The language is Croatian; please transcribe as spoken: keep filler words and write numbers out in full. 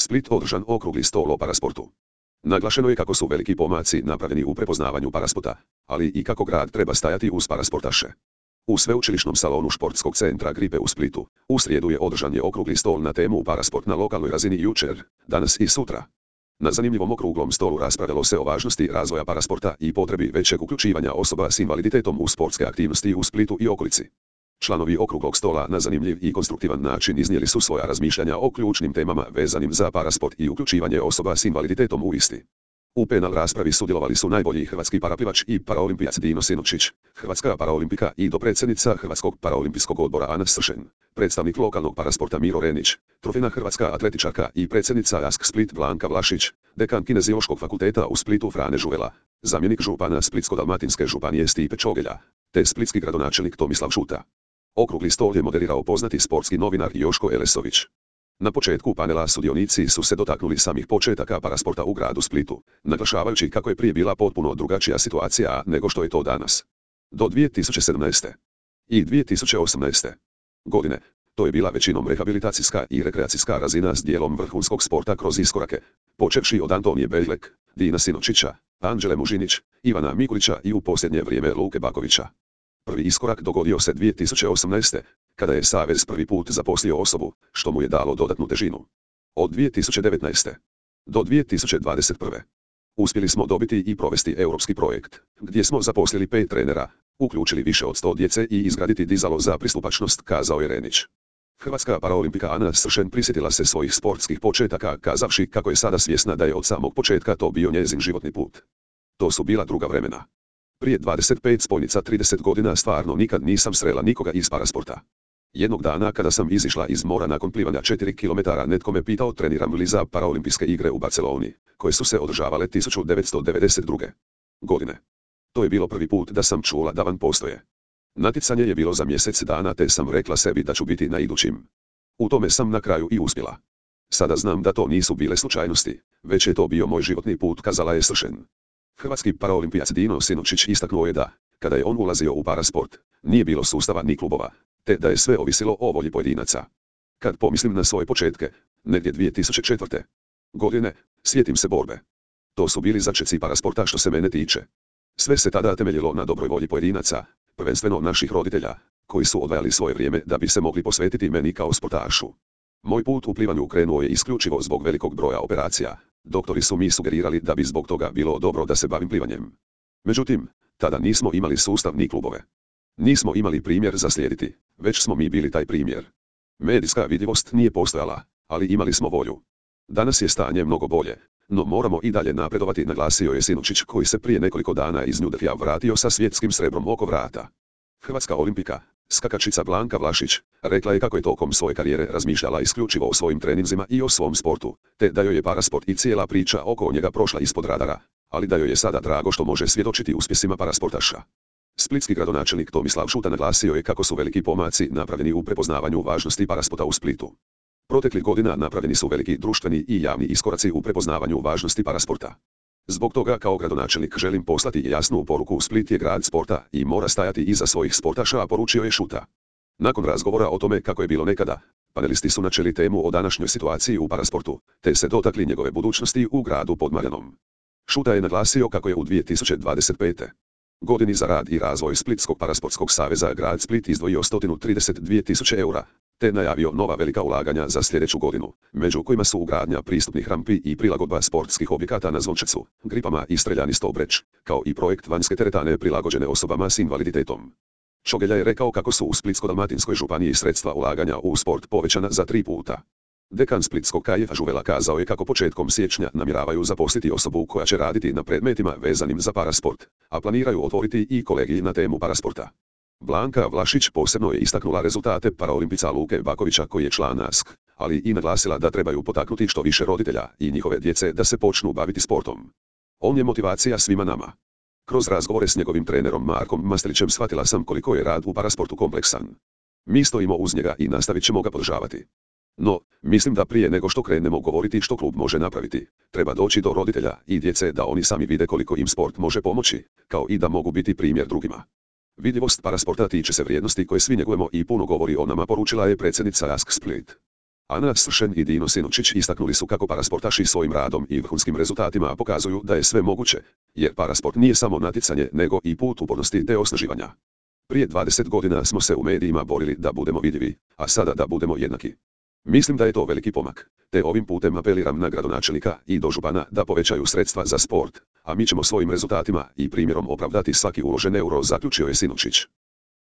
Split održan okrugli stol o parasportu. Naglašeno je kako su veliki pomaci napravljeni u prepoznavanju parasporta, ali i kako grad treba stajati uz parasportaše. U sveučilišnom salonu športskog centra Gripe u Splitu, u srijedu je održan je okrugli stol na temu parasport na lokalnoj razini jučer, danas i sutra. Na zanimljivom okruglom stolu raspravljalo se o važnosti razvoja parasporta i potrebi većeg uključivanja osoba s invaliditetom u sportske aktivnosti u Splitu i okolici. Članovi okruglog stola na zanimljiv i konstruktivan način iznijeli su svoja razmišljanja o ključnim temama vezanim za parasport i uključivanje osoba s invaliditetom u isti. U panel raspravi sudjelovali su najbolji hrvatski paraplivač i paraolimpijac Dino Sinočić, hrvatska paraolimpika i dopredsjednica Hrvatskog paraolimpijskog odbora Ana Sršen, predstavnik lokalnog parasporta Miro Renić, trofejna hrvatska atletičarka i predsjednica Ask Split Blanka Vlašić, dekan Kineziološkog fakulteta u Splitu Frane Žuvela, zamjenik župana Splitsko-dalmatinske županije Stipe Čogelja, te splitski gradonačelnik Tomislav Šuta. Okrugli stol je moderirao poznati sportski novinar Joško Elesović. Na početku panela sudionici su se dotaknuli samih početaka parasporta u gradu Splitu, naglašavajući kako je prije bila potpuno drugačija situacija nego što je to danas. Do dvije tisuće sedamnaeste. i dvije tisuće osamnaeste. godine, to je bila većinom rehabilitacijska i rekreacijska razina s dijelom vrhunskog sporta kroz iskorake, počevši od Antonije Beljlek, Dina Sinočića, Anđele Mužinić, Ivana Mikulića i u posljednje vrijeme Luke Bakovića. Prvi iskorak dogodio se dvije tisuće osamnaeste. kada je Savez prvi put zaposlio osobu, što mu je dalo dodatnu težinu. Od dvije tisuće devetnaeste. do dvije tisuće dvadeset prve. uspjeli smo dobiti i provesti europski projekt, gdje smo zaposlili pet trenera, uključili više od sto djece i izgraditi dizalo za pristupačnost, kazao je Renić. Hrvatska paraolimpika Ana Sršen prisjetila se svojih sportskih početaka kazavši kako je sada svjesna da je od samog početka to bio njezin životni put. To su bila druga vremena. Prije dvadeset pet spojnica trideset godina stvarno nikad nisam srela nikoga iz parasporta. Jednog dana kada sam izišla iz mora nakon plivanja četiri kilometra netko me pitao treniram li za paraolimpijske igre u Barceloni, koje su se održavale tisuću devetsto devedeset druge. godine. To je bilo prvi put da sam čula da van postoje. Natjecanje je bilo za mjesec dana te sam rekla sebi da ću biti na idućim. U tome sam na kraju i uspjela. Sada znam da to nisu bile slučajnosti, već je to bio moj životni put, kazala je Sršen. Hrvatski paraolimpijac Dino Sinočić istaknuo je da, kada je on ulazio u parasport, nije bilo sustava ni klubova, te da je sve ovisilo o volji pojedinaca. Kad pomislim na svoje početke, negdje dvije tisuće četvrte. godine, sjetim se borbe. To su bili začeci parasporta što se mene tiče. Sve se tada temeljilo na dobroj volji pojedinaca, prvenstveno naših roditelja, koji su odvajali svoje vrijeme da bi se mogli posvetiti meni kao sportašu. Moj put u plivanju krenuo je isključivo zbog velikog broja operacija. Doktori su mi sugerirali da bi zbog toga bilo dobro da se bavim plivanjem. Međutim, tada nismo imali sustav ni klubove. Nismo imali primjer za slijediti, već smo mi bili taj primjer. Medijska vidljivost nije postojala, ali imali smo volju. Danas je stanje mnogo bolje, no moramo i dalje napredovati, naglasio je Sinočić koji se prije nekoliko dana iz New Delhija vratio sa svjetskim srebrom oko vrata. Hrvatska olimpika, skakačica Blanka Vlašić, rekla je kako je tokom svoje karijere razmišljala isključivo o svojim treninzima i o svom sportu, te da joj je parasport i cijela priča oko njega prošla ispod radara, ali da joj je sada drago što može svjedočiti uspjesima parasportaša. Splitski gradonačelnik Tomislav Šuta naglasio je kako su veliki pomaci napravljeni u prepoznavanju važnosti parasporta u Splitu. Proteklih godina napravljeni su veliki društveni i javni iskoraci u prepoznavanju važnosti parasporta. Zbog toga kao gradonačelnik želim poslati jasnu poruku: Split je grad sporta i mora stajati iza svojih sportaša, poručio je Šuta. Nakon razgovora o tome kako je bilo nekada, panelisti su načeli temu o današnjoj situaciji u parasportu, te se dotakli njegove budućnosti u gradu pod Marjanom. Šuta je naglasio kako je u dvije tisuće dvadeset pete. godini za rad i razvoj Splitskog parasportskog saveza grad Split izdvojio sto trideset dvije tisuće eura, te najavio nova velika ulaganja za sljedeću godinu, među kojima su ugradnja pristupnih rampi i prilagodba sportskih objekata na Zvončecu, Gripama i Streljani Stobreć, kao i projekt vanjske teretane prilagođene osobama s invaliditetom. Čogelja je rekao kako su u Splitsko-dalmatinskoj županiji sredstva ulaganja u sport povećana za tri puta. Dekan Splitskog K J Žuvela kazao je kako početkom siječnja namjeravaju zaposliti osobu koja će raditi na predmetima vezanim za parasport, a planiraju otvoriti i kolegij na temu parasporta. Blanka Vlašić posebno je istaknula rezultate paraolimpica Luke Bakovića koji je član A S K, ali i naglasila da trebaju potaknuti što više roditelja i njihove djece da se počnu baviti sportom. On je motivacija svima nama. Kroz razgovore s njegovim trenerom Markom Mastelićem shvatila sam koliko je rad u parasportu kompleksan. Mi stojimo uz njega i nastavit ćemo ga podržavati. No, mislim da prije nego što krenemo govoriti što klub može napraviti, treba doći do roditelja i djece da oni sami vide koliko im sport može pomoći, kao i da mogu biti primjer drugima. Vidljivost parasporta tiče se vrijednosti koje svi njegujemo i puno govori o nama, poručila je predsjednica A S K Split. Ana Sršen i Dino Sinučić istaknuli su kako parasportaši svojim radom i vrhunskim rezultatima pokazuju da je sve moguće, jer parasport nije samo natjecanje nego i put upornosti te osnaživanja. Prije dvadeset godina smo se u medijima borili da budemo vidljivi, a sada da budemo jednaki. Mislim da je to veliki pomak, te ovim putem apeliram na gradonačelnika i dožupana da povećaju sredstva za sport, a mi ćemo svojim rezultatima i primjerom opravdati svaki uložen euro, zaključio je Sinučić.